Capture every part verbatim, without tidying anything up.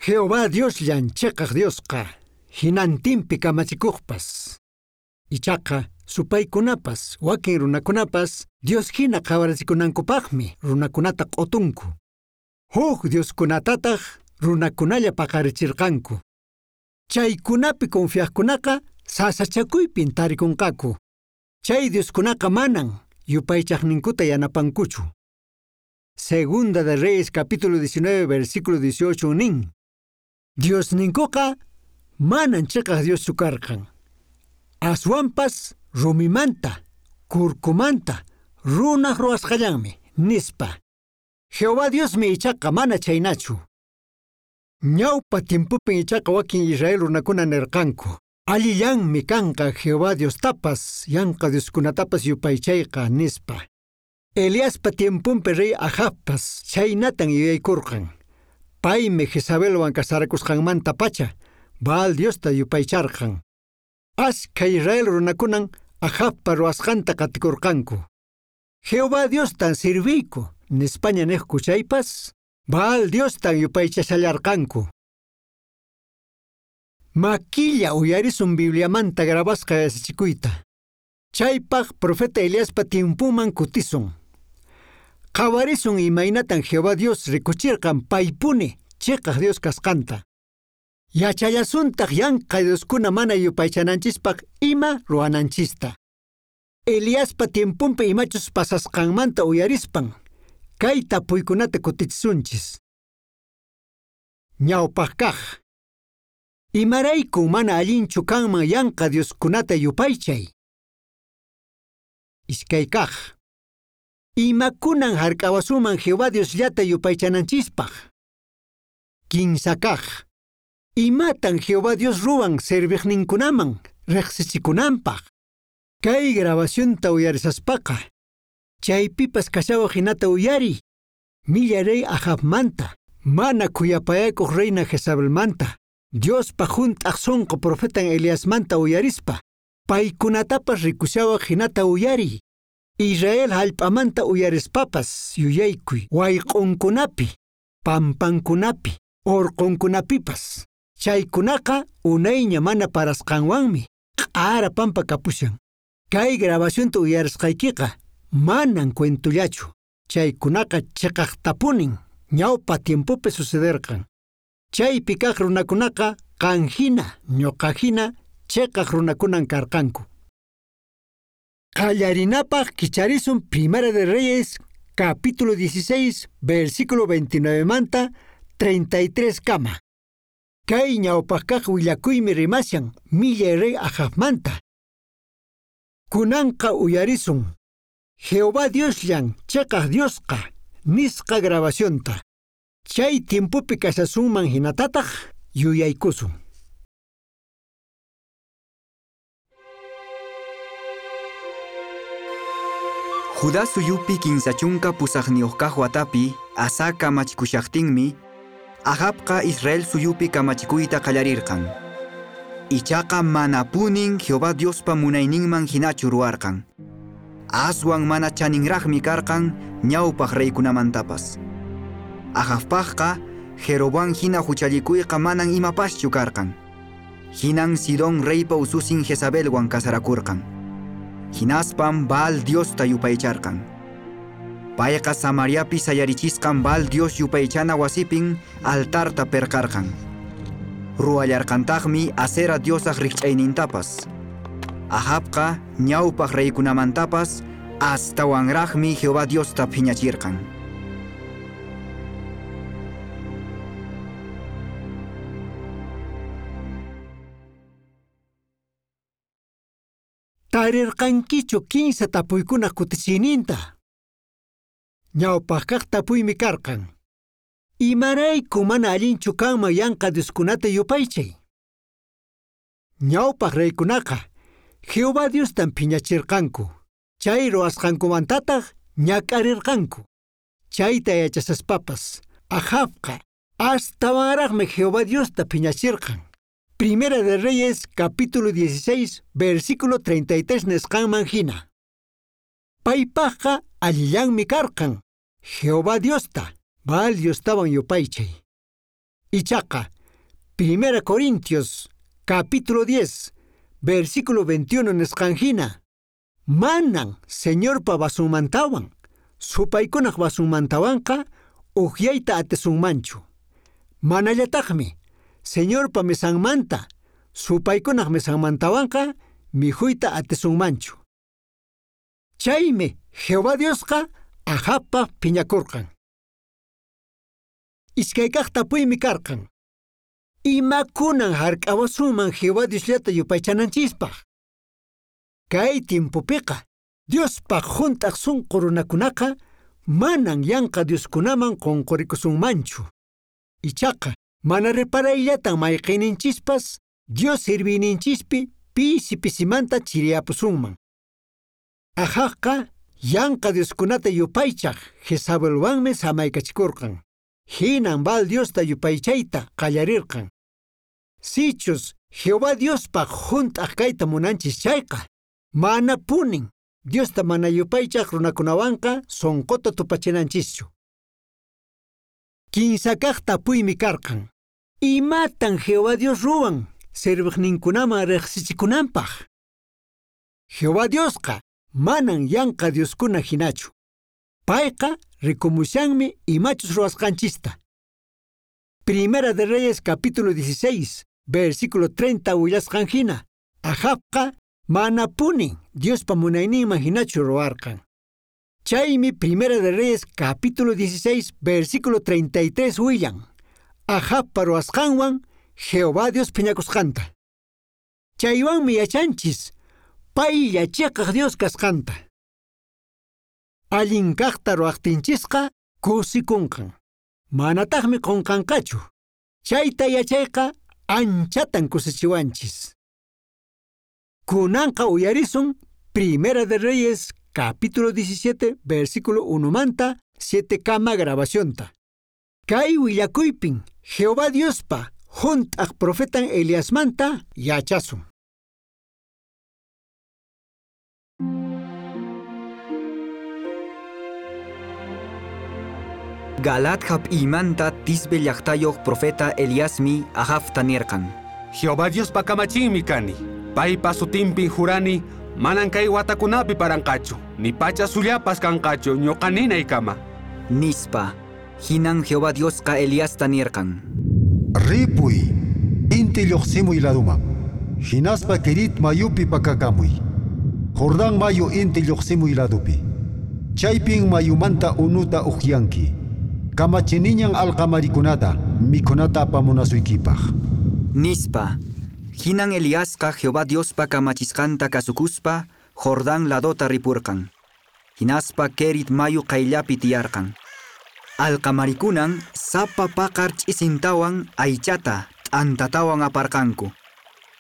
Jehová Diosllan cheqaq Diosqa, hinantinpi kamachikuqpas. Ichaqa supaykunapas, wakin runakunapas Dios hina qhawarachikunankupaqmi runakunata q'utunku. Huk dioskunatataq runakunalla paqarichirqanku. Chaykunapi confiaqkunaqa sasachakuypin tarikunqaku. Chay dioskunaqa manan yupaychaqninkuta yanapankuchu. Segunda de Reyes capítulo diecinueve versículo dieciocho nin. Diosninkuqa manan cheqaq Dioschu karqan. Aswanpas rumimanta, kurkumanta, runaq ruwasqallanmi, nispa. Jehová Diosmi ichaqa mana chaynachu. Ñawpa tiempopin ichaqa wakin Israel runakuna nirqanku. Allillanmi kanqa Jehová Diostapas, yanqa dioskunatapas yupaychayqa, nispa. Eliaspa tiemponpi rey Ahabpas chaynatan yuyaykurqan. Paymi Jezabelwan casarakusqanmanta pacha Baal Diosta yupaycharqan. Askha Israel runakunan Ahabpa ruwasqanta qatikurqanku. Jehová Diostan sirviyku, nispaña niqku chaypas, Baal Diostan yupaychashallarqanku. Makilla uyarisun Bibliamanta grabasqa yachachikuyta. Chaypaq profeta Eliaspa tiempuman kutisun. Qhawarisun imaynatan Jehová Dios rikuchirqan paypuni cheqaq Dios kasqanta. Yachallasuntaq yanqa dioskuna mana yupaychananchispaq ima ruwananchista. Eliaspa tiempunpi imachus pasasqanmanta uyarispan, kay tapuykunata kutichisunchis. Ñawpaq kaq. Imarayku mana allinchu kanman yanqa dioskunata yupaychay? Iskay kaq. Imakunan hark'awasuman Jehová Diosllata yupaychananchispaq? Kinsa kaq. Imatan Jehová Dios ruwan serviqninkunaman riqsichikunanpaq? Kay grabacionta uyarisaspaqa, chaypipas kashawaq hinata uyariy, millay rey Ahabmanta, mana khuyapayakuq reina Jezabelmanta, Diospa hunt'aq sunqu profetan Eliasmanta uyarispa, paykunatapas rikushawaq hinata uyariy. Israel hallp'amanta uyarispapas yuyaykuy wayq'unkunapi, pampankunapi, urqunkunapipas. Chaykunaqa unayña mana parasqanwanmi q'ara pampa kapushan. Kay grabacionta uyarisqaykiqa manan cuentollachu. Chaykunaqa chiqaqtapunin ñawpa tiempopi sucederqan. Chaypi kaq runakunaqa qan hina, ñuqa hina chiqaq runakunan karqanku. Qallarinapaq kicharisun Primera de Reyes, capítulo dieciséis, versículo veintinueve manta treinta y tres kama. Kay ñawpaq kaq willakuymi rimashan millay rey Ahabmanta. Kunanqa uyarisun Jehová Diosllan cheqaq Diosqa nisqa grabacionta. Chay tiempopi kashasunman hinatataq yuyaykusun. Judá suyupi kinsa chunka pusaqniyuq kaq watapi Asa kamachikushaqtinmi, Ahabqa Israel suyupi kamachikuyta qallarirqan. Ichaqa manapunin Jehová Diospa munayninman hinachu ruwarqan. Aswan mana chaninraqmi karqan ñawpaq reykunamantapas. Ahabpaqqa Jeroboam hina huchallikuyqa manan imapaschu karqan. Hinan Sidón reypa ususin Jezabelwan casarakurqan. Hinaspam Baal Diosta yupaycharqan. Payqa Samariapi sayarichisqan Baal Dios yupaychana wasipin altarta perqarqan. Ruwallarqantaqmi Asera diosaq rikch'aynintapas. Ahabqa ñawpaq reykunamantapas astawanraqmi Jehová Diosta phiñachirqan. Tarirqankichu kinsa tapuykunaq kutichiyninta? Ñawpaq kaq tapuymi karqan. Imarayku mana allinchu kanman yanqa dioskunata yupaychay? Ñawpaq reykunaqa Jehová Diostan phiñachirqanku. Chay ruwasqankumantataq ñak'arirqanku. Chayta yachasaspapas Ahabqa astawanraqmi Jehová Diosta phiñachirqan. Primera de Reyes, capítulo dieciséis, versículo treinta y tres nisqanman hina. Paypaqqa allillanmi karqan Jehová Diosta, Baal Diostawan yupaychay. Ichaqa, Primera Corintios, capítulo diez, versículo veintiuno nisqan hina, manan Señorpa vasunmantawan, supaykunaq vasunmantawanqa ukyayta atisunmanchu. Manallataqmi Señorpa mesanmanta, supaykunaq mesanmantawanqa mikhuyta atisunmanchu. Chaymi Jehová Diosqa Ahabpaq phiñakurqan. Iskaykaq tapuymi karqan. Imakunan hark'awasunman Jehová Diosllata yupaychananchispaq? Kay timpupiqa Diospaq hunt'aq sunqu runakunaqa manan yanqa dioskunaman qunqurikusunmanchu. Ichaqa mana reparayllatan mayqinninchispas Dios sirviyninchispi pisi pisimanta chiriyapusunman. Ahabqa yanqa dioskunata yupaychaq Jezabelwanmi samaykachikurqan. Hinan Baal Diosta yupaychayta qallarirqan. Sichus Jehová Diospaq hunt'aq kayta munanchis chayqa, mana punin Diosta mana yupaychaq runakunawanqa sunquta tupachinanchischu. Kinsakaq tapuymi karqan. Imatan Jehová Dios ruwan serviqninkunaman riqsichikunanpaq? Jehová Diosqa manan yanqa dioskuna hinachu. Payqa rikumushanmi imachus ruwasqanchista. Primera de Reyes capítulo dieciséis, versículo treinta willasqan hina, Ahabqa manapuni Diospa munayninman hinachu ruwarqan. Chaymi Primera de Reyes capítulo dieciséis, versículo treinta y tres willan, Ahabpa ruwasqanwan Jehová Dios phiñakusqanta. Chaywanmi yachanchis paylla chiqaq Dios kasqanta. Allin kaqta ruwaqtinchisqa kusikunqan. Manataqmi qunqanqachu. Chayta yachayqa anchatan kusichiwanchis. Kunanqa uyarisun Primera de Reyes capítulo diecisiete, versículo uno manta siete kama grabacionta. Kay willakuypin Jehová Diospa hunt'aq profetan Eliasmanta yachasun. Galaad hap'imanta Tisbe llaqtayuq profeta Eliasmi Ahabta nirqan. Jehová Diospa kamachinmi kani. Paypa sutinpin jurani, manan kay watakunapi paranqachu, ni pacha sullapas kanqachu ñuqa ninaykama. Nispa, hinan Jehová Diosqa Eliasta nirqan. Ripuy, inti lluqsimuy laduman, hinaspa Kerit mayupi pakakamuy. Jordán mayu inti lluqsimuy ladupi. Chaypin mayumanta unuta uqyanki. Kamachiniñan alqamarikunata mikhunata apamunasuykipaq. Nispa, hinan Eliasqa Jehová Diospa kamachisqanta kasukuspa Jordán ladota ripurqan. Hinaspa Kerit mayu qayllapi tiyarqan. Alqamarikunan sapa paqar ch'isintawan aychata t'antatawan aparqanku.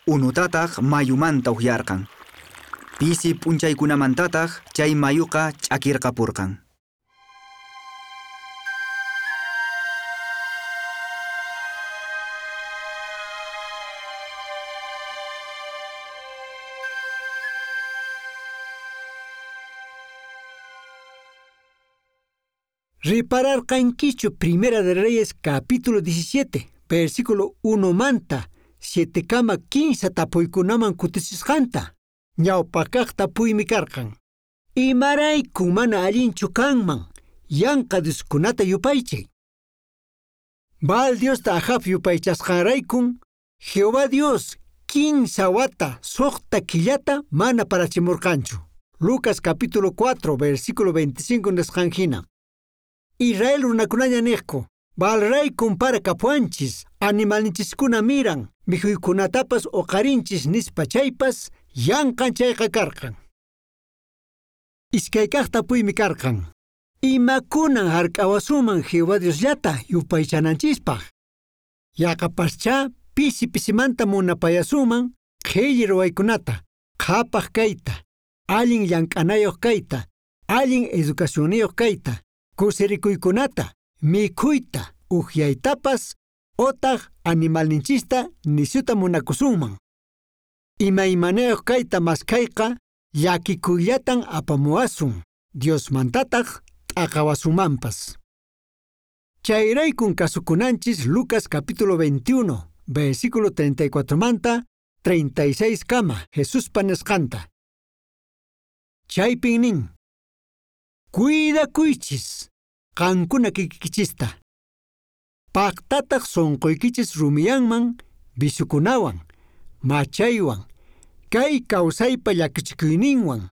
Unutataq mayumanta uhyarqan. Pisi p'unchaykunamantataq chay mayuqa ch'akirqapurqan. Ripararqankichu Primera de Reyes capítulo diecisiete, versículo uno manta, siete kama quince tapuykunaman kutichisqanta. Ñawpakaq tapuymi karqan. Imarayku mana allinchu kanman, yanqa dioskunata yupaychay. Baal Diosta Ahab yupaychasqanraykun, Jehová Dios quince wata suqta killata mana parachimurqanchu. Lucas capítulo cuatro, versículo veinticinco nisqan hina. Israel runakunaña niqku, Baalraykun para kapuanchis, animalninchiskuna miran, mikhuykunatapas uqarinchis nispa chaypas, yanqan chayqa karqan. Iskaykaq tapuymi karqan. Imakunan hark'awasuman Jehová Diosllata yupaychananchispaq? Yaqapaschá pisi pisimanta munapayasuman qhilli ruwaykunata, qhapaq kayta, allin llank'anayuq kayta, allin educacionniyuq kayta, kusirikuykunata, mikhuyta, uhyaytapas, otaq animalninchista nisyuta munakusunman. Imaymanayuq kayta maskhayqa llakikuyllatan apamuwasun, Diosmantataq t'aqawasumanpas. Chayraykun kasukunanchis Lucas capítulo veintiuno, versículo treinta y cuatro manta treinta y seis kama Jesuspa nisqanta. Chaypin nin: Cuidakuychis qankuna kikikichista. Paqtataq sunquykichis rumiyanman bisukunawan, machaywan, kay kawsaypa llakichikuyninwan,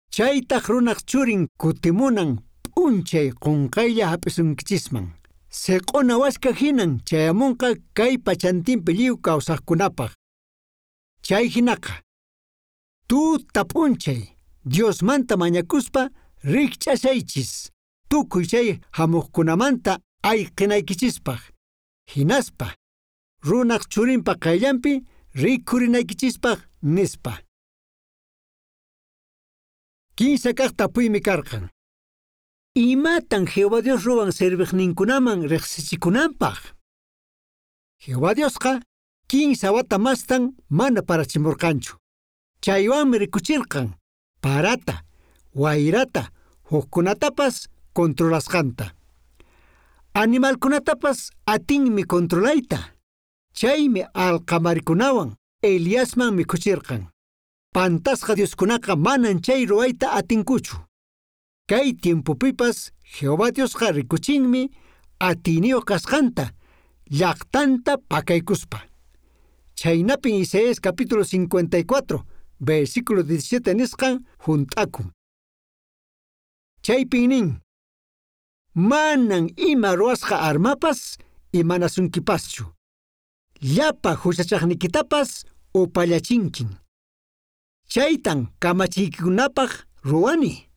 chaytaq runaq churin kutimunan p'unchay qunqaylla hap'isunkichisman. Seq'una waska hinan chayamunqa kay pachantinpi lliw kawsaqkunapaq. Chay hinaqa, tuta p'unchay Diosmanta mañakuspa rikch'ashaychis, tukuy chay hamuqkunamanta ayqinaykichispaq. Hinaspa, runaq churinpa qayllanpi rikurinaykichispaq nispa. Kinsa kaq tapuymi karqan. Imatan Jehová Dios ruwan serviqninkunaman riqsichikunanpaq? Jehová Diosqa kinsa wata mastan mana parachimurqanchu. Chaywanmi rikuchirqan parata, wayrata, hukkunatapas controlasqanta. Animalkunatapas atinmi controlayta. Chaymi alqamarikunawan Eliasman mikhuchirqan. Pantasqa Dioskunaqa manan chay ruwayta atinkuchu. Kay tiempopipas Jehová Diosqa rikuchinmi atiyniyuq kasqanta llaqtanta pakaykuspa. Chaynapin Isaías capítulo cincuenta y cuatro, versículo diecisiete nisqan hunt'akun. Chaypin nin: Manan ima ruwasqa armapas imanasunkipaschu. Llapa huchachaqnikitapas upallachinkin. Chaytan kamachiykikunapaq ruwani.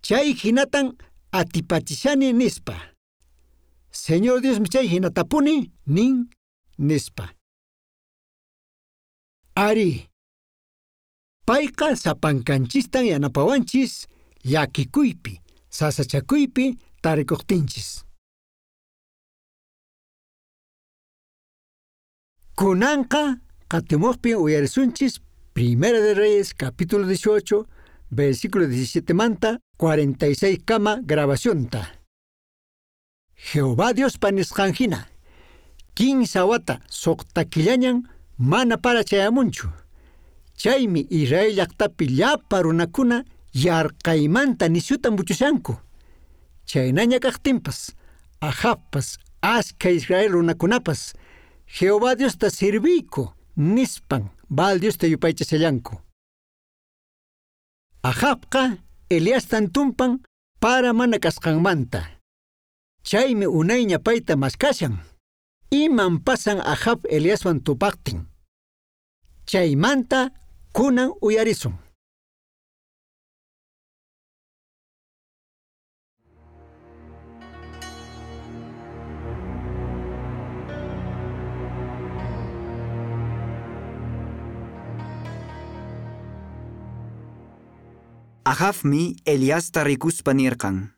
Chay hinatan atipachishani nispa. Señor Diosmi chay hinatapuni nin nispa. Ari, payqa sapankanchistan yanapawanchis llakikuypi, sasachakuypi tarikuqtinchis. Kunanqa qatimuqpi uyarisunchis Primera de Reyes capítulo dieciocho, versículo diecisiete manta cuarenta y seis kama grabacionta. Jehová Diospa nisqan hina, kinsa wata suqta killañan mana para chayamunchu. Chaymi Israel llaqtapi llapa runakuna yarqaymanta nisyuta muchushanku. Chaynaña kaqtinpas, Ahabpas, askha Israel runakunapas, Jehová Diosta sirviyku nispan Baal Diosta yupaychashallanku. Ahabqa Eliastan tumpan para mana kasqanmanta. Chaymi unayña payta maskashan. Iman pasan Ahab Eliaswan tupaqtin. Chaymanta kunan uyarisun. Ahabmi Eliasta rikuspa nirqan: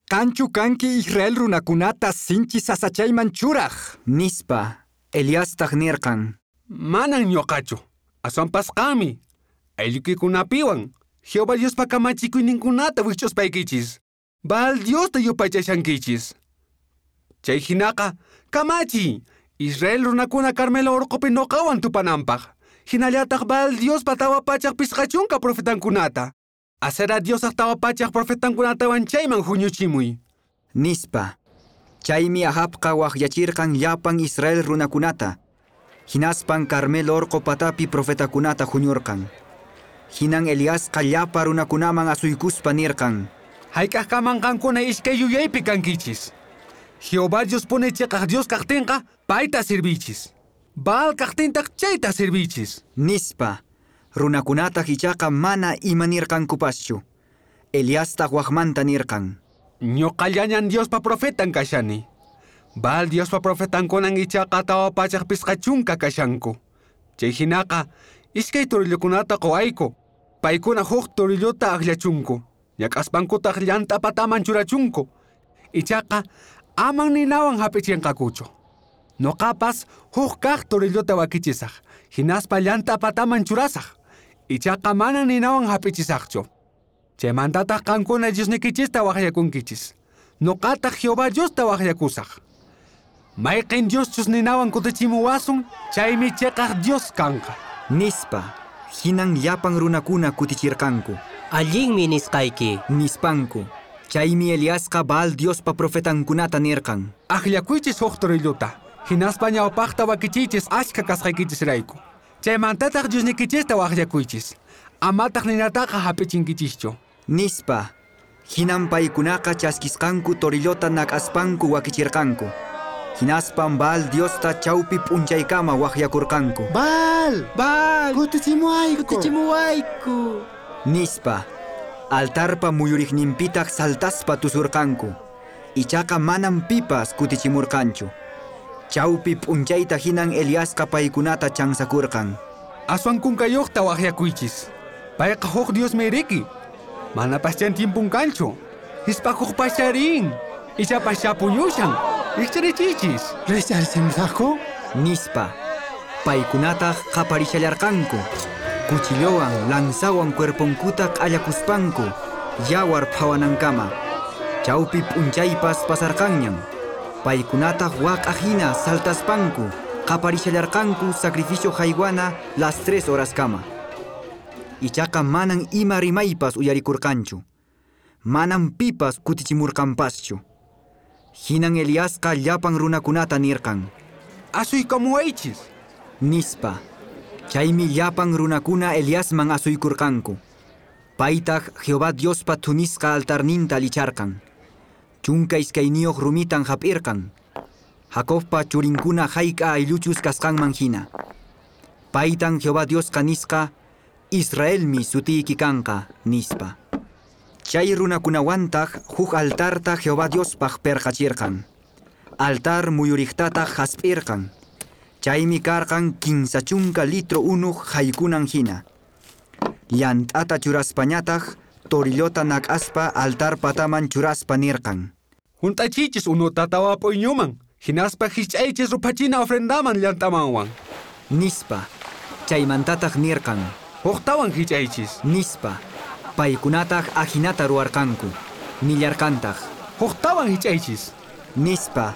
Qanchu kanki Israel runakunata sinchi sasachayman churaq. Nispa, Eliastaq nirqan: Manan ñuqachu, aswanpas qanmi, ayllukikunapiwan, Jehová Diospa kamachikuyninkunata wich'uspaykichis, Baal Diosta yupaychashankichis. Chay hinaqa, kamachiy, Israel runakuna Carmelo urqupi ñuqawan tupananpaq, hinallataq Baal Diospa tawa pachaq pisqa chunka profetankunata. Asera Diosaq tawa pachaq profetankunatawan chayman huñuchimuy. Nispa. Chaymi Ahabqa waqyachirqan llapan Israel runakunata. Hinaspan Carmelo orqo patapi profetakunata huñurqan. Hinan Eliasqa llapa runakunaman asuykuspa nirqan: Hayk'aqkaman qankuna iskay yuyaypi kankichis. Jehová Dios pone chiqaq Dios kaqtinqa payta sirvichis. Baal kaqtintaq chayta sirvichis. Nispa. Runakunataq ichaqa mana imanirqankupaschu. Eliastaq waqmanta nirqan: Ñuqallañan Diospa profetan kashani. Baal Diospa profetankunan ichaqa tawa pachaq pisqa chunka kashanku. Chay hinaqa iskay torillokunata quwayku. Paykuna huk torillota akllachunku. Ñak'aspankutaq llant'a pataman churachunku. Ichaqa aman ninawan hap'ichinqakuchu. Ñuqapas huk kaq torillota wakichisaq. Hinaspa llant'a pataman churasaq. Ichaqa mana ninawan hap'ichisaqchu. Chaymantataq qankuna Diosnikichista waqyakunkichis. Ñuqataq Jehová Diosta waqyakusaq. Mayqin Dioschus ninawan kutichimuwasun, chaymi chiqaq Dios kanqa. Nispa, hinan llapan runakuna kutichirqanku. Allinmi nisqayki. Nispanku. Chaymi Eliasqa Baal Diospa profetankunata nirqan. Akllakuychis huk torillota, hinaspa ñawpaqta wakichiychis achka kasqaykichisrayku. Chaymantataq Diosnikichista waqllakuychis. Amataq ninataqa hap'ichinkichischu. Nispa, hinan paykunaqa chaskisqanku torillota nak'aspanku wakichirqanku. Hinaspan Baal Diosta chawpi p'unchaykama waqyakurqanku. Baal! Baal! Kutichimuwayku! Kutichimuwayku! Nispa, altarpa muyuriqninpitaq saltaspa tusurqanku. Ichaqa manam pipas kutichimurqanchu. Chawpi p'unchayta hinan Eliasqa paykunata chansakurqan. Aswan kunkayuqta waqyakuychis. Payqa huk Diosmi riki. Manapaschan tiempun kanchu. Hispakuqpascharin. Ichapaschá puñushan. Rikcharichiychis. Rikcharichimusaqku? Nispa, paykunataq qaparishallarqanku. Cuchillowan, lanzawan cuerponkuta q'allakuspanku, yawar phawanankama. Chawpi p'unchaypas pasarqanñan. Paykunataq waq'a hina saltaspanku, qaparishallarqanku sacrificio haywana las tres horaskama. Ichaqa manan ima rimaypas uyarikurqanchu. Manan pipas kutichimurqanpaschu. Hinan Eliasqa llapan runakunata nirqan. Asuykamuwaychis. Nispa, chaymi llapan runakuna Eliasman asuykurqanku. Paytaq Jehová Diospa thunisqa altarninta allicharqan. Chunka iskayniyuq rumitan hap'irqan. Jacobpa churinkuna hayk'a aylluchus kasqanman hina. Paytan Jehová Diosqa nisqa, Israelmi sutiyki kanqa, nispa. Chay runakunawantaq huk altarta Jehová Diospaq perqachirqan. Altar muyuriqtataq hasp'irqan. Chaymi karqan kinsa chunka litro unuq haykunan hina. Llant'ata churaspañataq torillota nak'aspa altar pataman churaspa nirqan. Hunt'achiychis unuta tawa p'uyñuman, hinaspa hich'aychis ruphachina ofrendaman llant'amanwan. Nispa, chaymantataq nirqan. Huktawan hich'aychis. Nispa, paykunataq ajinata ruwarqanku. Nillarqantaq. Huktawan hich'aychis. Nispa,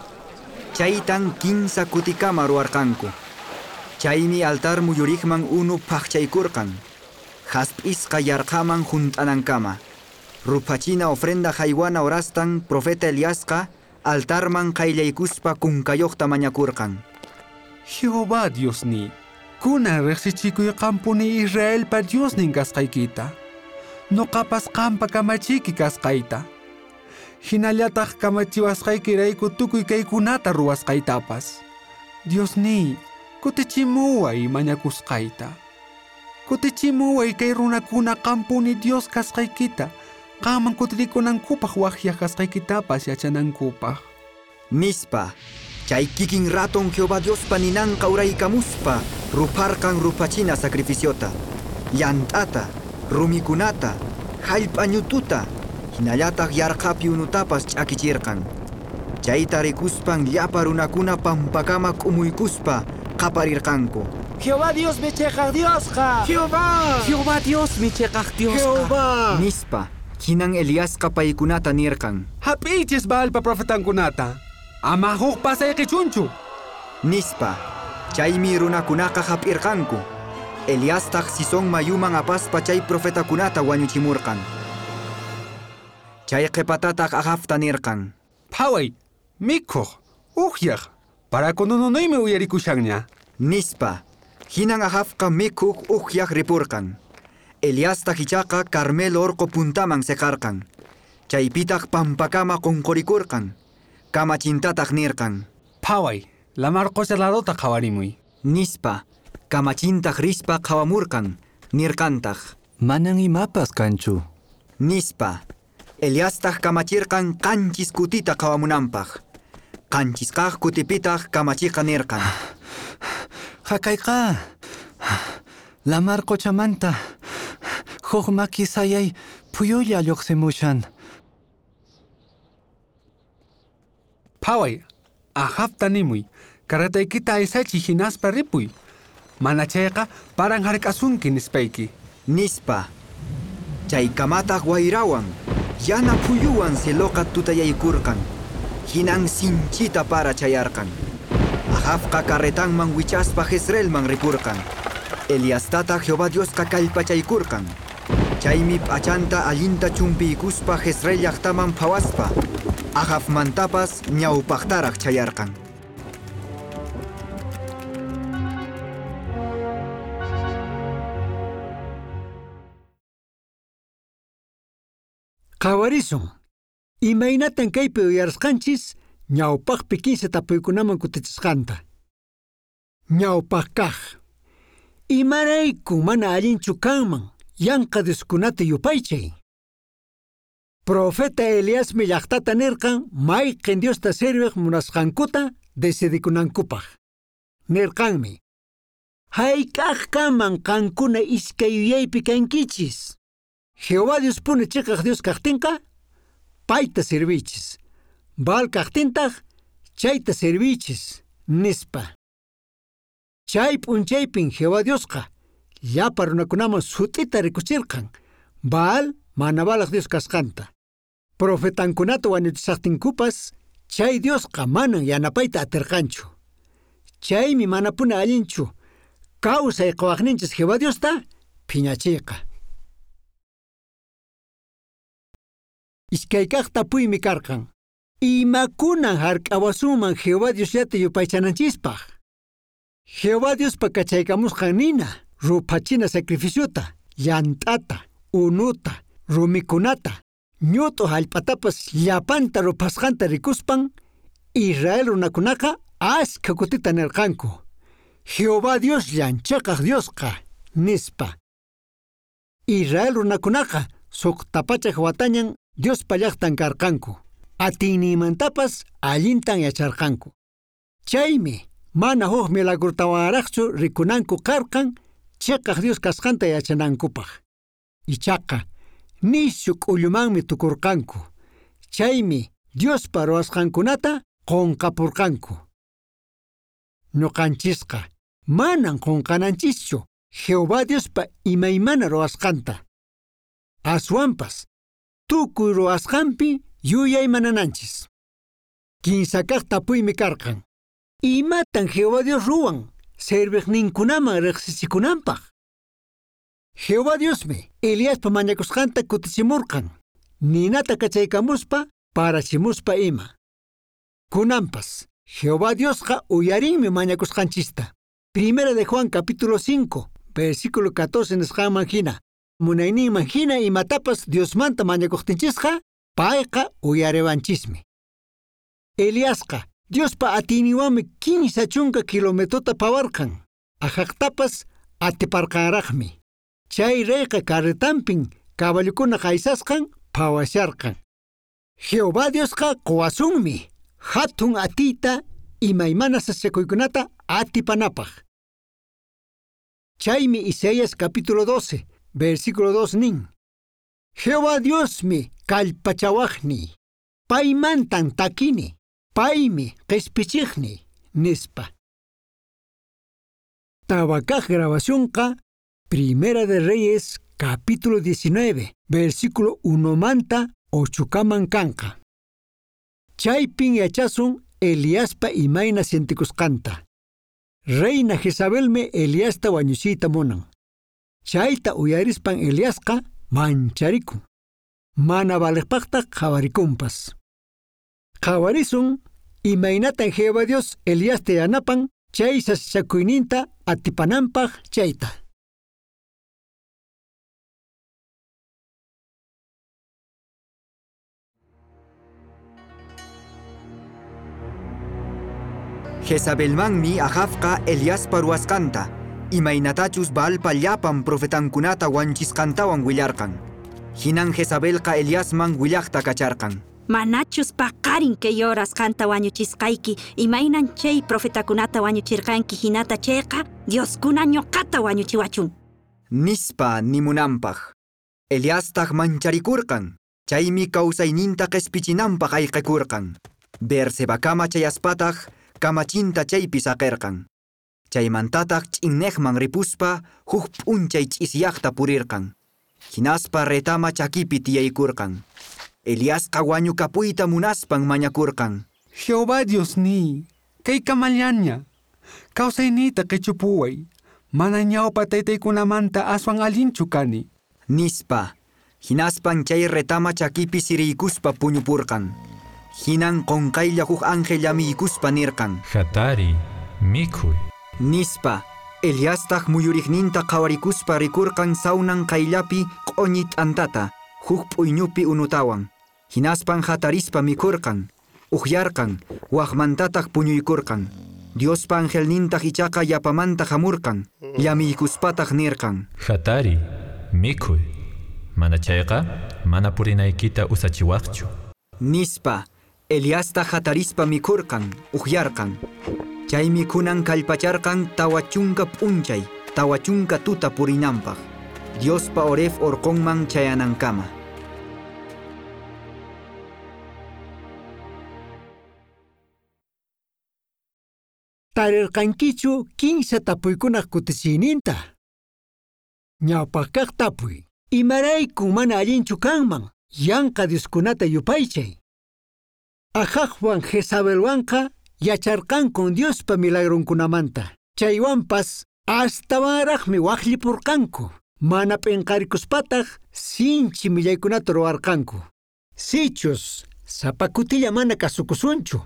chaytan kinsa kutikama ruwarqanku. Chaymi altar muyuriqman unu phaqchaykurqan. Hasp'isqa yarqhaman hunt'anankama. Ruphachina ofrenda haywana horastan profeta Eliasqa altarman qayllaykuspa kunkayuqta mañakurqan. Jehová Diosniy, kunan riqsichikuy qampuni Israelpa Diosnin kasqaykita. Nuqapas qampa kamachiyki kasqayta. Hinallataq kamachiwasqaykirayku tukuy kaykunata ruwasqaytapas. Diosniy, kutichimuway mañakusqayta. Kutichimuway kay runakuna qampuni Dios kasqaykita, qamman kutirikunankupaq waqyaq kasqaykitapas yachanankupaq. Nispa, chay kikin raton Jehová Diospa ninanqa uraykamuspa rupharqan ruphachina sacrificiota, llant'ata, rumikunata, hallp'a ñututa, hinallataq yarqhapi unutapas ch'akichirqan. Chayta rikuspan llapa runakuna pampakama k'umuykuspa qaparirqanku. Jehová Diosmi chiqaq Diosqa. Jehová! Jehová Diosmi chiqaq Diosqa. Jehová! Nispa, hinan Eliasqa paykunata nirqan. Hap'iychis Baalpa profetankunata. Ama huk pasayqichunchu. Nispa, chaymi runakunaqa hap'irqanku. Eliastaq Sison mayuman apaspa chay profetakunata wañuchimurqan. Chay qhipatataq Ahabta nirqan. Phaway, mikhuq, uqyaq, parakunununuymi uyarikushanña. Nispa, hinan Ahabqa mikhuq uqyaq ripurqan. Eliastaq ichaqa Carmelo orqo puntaman seqarqan. Chaypitaq pampakama qunqurikurqan. Kamachintataq nirqan. Phaway, lamar qucha laduta qhawarimuy. Nispa, kamachintaq rispa qhawamurqan, nirqantaq. Manan imapas kanchu. Nispa, Eliastaq kamachirqan qanchis kutita qhawamunanpaq. Qanchis kaq kutipitaq kamachiqa nirqan. Haqayqa, lamar qochamanta huk maki sayay phuyulla lluqsimushan. Phaway, Ahabta nimuy, carretaykita aysachiy hinaspa ripuy. Mana chayqa paran hark'asunki nispayki. Nispa, chaykamataq wayrawan, yana phuyuwan cieloqa tutayaykurqan. Hinan sinchita para chayarqan. Ahabqa carretanman wichaspa Jezreelman ripurqan. Eliastata Jehová Diosqa kallpachaykurqan. Chaymi p'achanta allinta chumpiykuspa Jezreel llaqtaman phawaspa Ahabmantapas ñawpaqtaraq chayarqan. Qhawarisun. Imaynatan kaypi uyarisqanchis ñawpaqpi kinsa tapuykunaman kutichisqanta. Ñawpaq kaq. Imarayku mana allinchu kanman yanqa dioskunata yupaychay. Profeta Eliasmi llaqtata nirqan mayqin Diosta serviq munasqankuta decidikunankupaq. Nirqanmi: Hayk'aqkaman qankuna iskay yuyaypi kankichis. Jehová Diospuni chiqaq Dios kaqtinqa payta servichis. Baal kaqtintaq chayta servichis, nispa. Chay p'unchaypin Jehová Diosqa llapa runakunaman sut'ita rikuchirqan Baal mana balaq Dios kasqanta. Profetankunata wañuchisaqtinkupas chay Diosqa manan yanapayta atirqanchu. Chaymi manapuni allinchu kawsay quwaqninchis Jehová Diosta phiñachiyqa. Iskay kaq tapuymi karqan. Imakunan hark'awasunman Jehová Diosllata yupaychananchispaq? Jehová Diospa kachaykamusqan nina ruphachina sacrificiota, llant'ata, unuta, rumikunata, ñut'u hallp'atapas llapanta ruphasqanta rikuspan Israel runakunaqa askha kutita nirqanku: Jehová Diosllan chiqaq Diosqa, nispa. Israel runakunaqa suqta pachak watañan Diospa llaqtan karqanku. Atiyninmantapas allintan yacharqanku. Chaymi mana huk milagrotawanraqchu rikunanku karqan chiqaq Dios kasqanta yachanankupaq. Ichaqa nishu k'ullumanmi tukurqanku. Chaymi Diospa ruwasqankunata qunqapurqanku. Ñuqanchisqa manan qunqananchischu Jehová Diospa imaymana ruwasqanta. Aswanpas tukuy ruwasqanpi yuyaymanananchis. Kinsa kaq tapuymi karqan. Imatan Jehová Dios ruwan serviqninkunaman riqsichikunanpaq? Jehová Diosmi Eliaspa mañakusqanta kutichimurqan, ninata kachaykamuspa parachimuspa ima. Kunanpas Jehová Diosqa uyarinmi mañakusqanchista. Primera de Juan capítulo cinco, versículo catorce nisqanman hina, munayninman hina imatapas Diosmanta mañakuqtinchisqa, payqa uyariwanchismi. Eliasqa Diospa atiyninwanmi kinsa chunka kilometrota pawarqan, Ahabtapas atiparqanraqmi. Chay reyqa carretanpin caballukuna qaysasqan phawasharqan. Jehová Diosqa quwasunmi hatun atiyta imaymana sasakuykunata atipanapaq. Chaymi Isaías capítulo doce, versículo dos nin: Jehová Diosmi kallpachawaqni, paymantan takini, paymi qispichiqni, nispa. Tawakaq grabacionqa Primera de Reyes capítulo diecinueve, versículo uno manta ochukaman kanqa. Chaypin yachasun Eliaspa imayna sientikusqanta. Reina Jezabelmi Eliasta wañuchiyta munan. Chayta uyarispan Eliasqa mancharikun. Mana valiqpaqtaq qhawarikunpas. Qhawarisun imaynatan Jehová Dios Eliasta yanapan chay sasachakuyninta atipananpaq chayta. Jezabelmanmi Ahabqa Eliaspa ruwasqanta, imaynatachus Baalpa llapan profetankunata wanchisqantawan willarqan. Hinan Jezabelqa Eliasman willaqta kacharqan. Manachus paqarin kay horas qanta wañuchisqayki, imaynan chay profetakunata wañuchirqanki hinata chayqa, Dioskuna ñuqata wañuchiwachun. Nispa nimunanpaq. Eliastaq mancharikurqan, chaymi kawsayninta qispichinanpaq ayqikurqan. Beersebakama chayaspataq kamachinta chaypi saqirqan. Chaymantataq ch'inneqman ripuspa huk p'unchay ch'isyaqta purirqan. Hinaspa retama chakipi tiyaykurqan. Eliasqa wañukapuyta munaspan mañakurqan. Jehová Diosniy, kay kamallaña. Kawsayniyta qichupuway. Mana ñawpa taytaykunamanta aswan allinchu kani. Nispa. Hinaspan chay retama chakipi siriykuspa puñupurqan. Hinan qunqaylla huk ángel llamiykuspa nirqan. Hatari, mikhuy. Nispa. Eliastaq muyuriqninta qhawarikuspa rikurqan sawnan qayllapi q'uñi t'antata, huk p'uyñupi unutawan. Hinaspan hatarispa mikhurqan, uhyarqan, waqmantataq puñuykurqan. Diospa angelnintaq ichaqa yapamanta hamurqan, llamiykuspataq nirqan. Hatari, mikhuy. Mana chayqa, mana purinaykita usachiwaqchu. Nispa, Eliastaq hatarispa mikhurqan, uhyarqan. Chay mikhunan kallpacharqan tawa chunka p'unchay, tawa chunka tuta purinanpaq. Diospa Horeb orqonman chayanankama. Tarirqankichu kinsa tapuykunaq kutichiyninta. Ñawpaqkaq tapuy. Imaraykun mana allinchu kanman yanqa Dioskunata yupaychay. Ajajwan Jezabelwanqa yacharqankun Diospa milagronkunamanta. Chaywanpas astawanraqmi waqllipurqanku. Mana p'inqarikuspataq sinchi millaykunata ruwarqanku. Sichus sapa kutilla mana kasukusunchu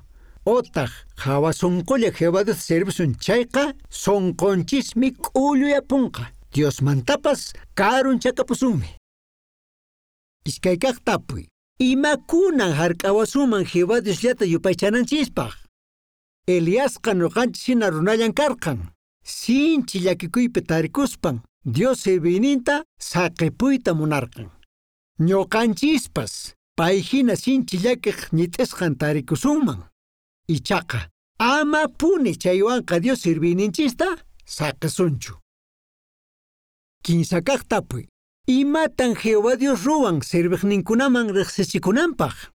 otaq hawa sunqulla Jehová Dios servisun chayqa sunqunchismi k'ulluyapunqa. Diosmantapas karunchakapusunmi. Iskaykaq tapuy. Imakunan hark'awasuman Jehová Diosllata yupaychananchispaq? Eliasqa ñuqanchis hina runallan karqan. Sinchi llakikuypi tarikuspan Dios serviyninta saqipuyta munarqan. Ñuqanchispas pay hina sinchi llakiq ñit'isqan tarikusunman. Ichaqa ama puni chaywanqa Dios serviyninchista saqisunchu. Kinsakaq tapuy. Imatan Jehová Dios ruwan serviqninkunaman riqsichikunanpaq?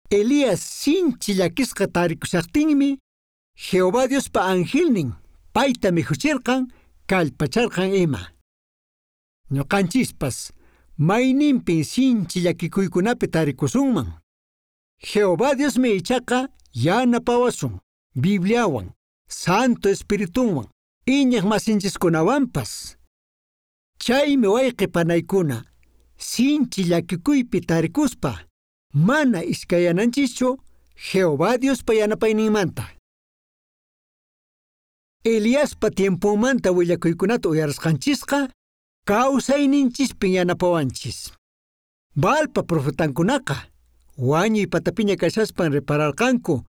Elías sinchi llakisqa tarikushaqtinmi Jehová Diospa angelnin payta mikhuchirqan kallpacharqan ima. Ñuqanchispas mayninpin sinchi llakikuykunapi tarikusunman. Jehová Diosmi ichaqa yanapawasun Bibliawan, Santo Espiritunwan, iñiq masinchiskunawanpas. Chaymi wayqi panaykuna sinchi llakikuypi tarikuspa mana iskayananchischu Jehová Diospa yanapayninmanta. Eliaspa tiemponmanta willakuykunata uyarisqanchisqa kawsayninchispin yanapawanchis. Baalpa profetankunaqa wañuy patapiña kashaspan repararqanku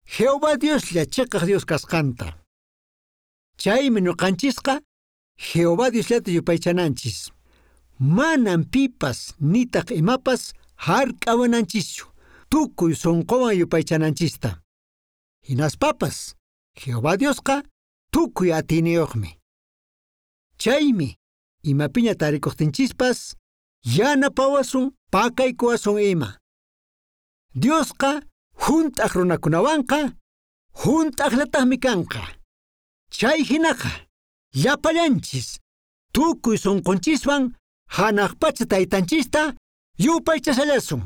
Jehová Dioslla chiqaq Dios kasqanta. Chaymi ñuqanchisqa Jehová Diosllata yupaychananchis. Manan pipas nitaq imapas hark'awananchischu tukuy sunquwan yupaychananchista. Hinaspapas Jehová Diosqa tukuy atiyniyuqmi. Chaymi imapiña tarikuqtinchispas yanapawasun pakaykuwasun ima. Diosqa hunt'aq runakunawanqa hunt'aqllataqmi kanqa. Chay hinaqa llapallanchis tukuy sunqunchiswan hanaq pacha taytanchista yupaychashallasun.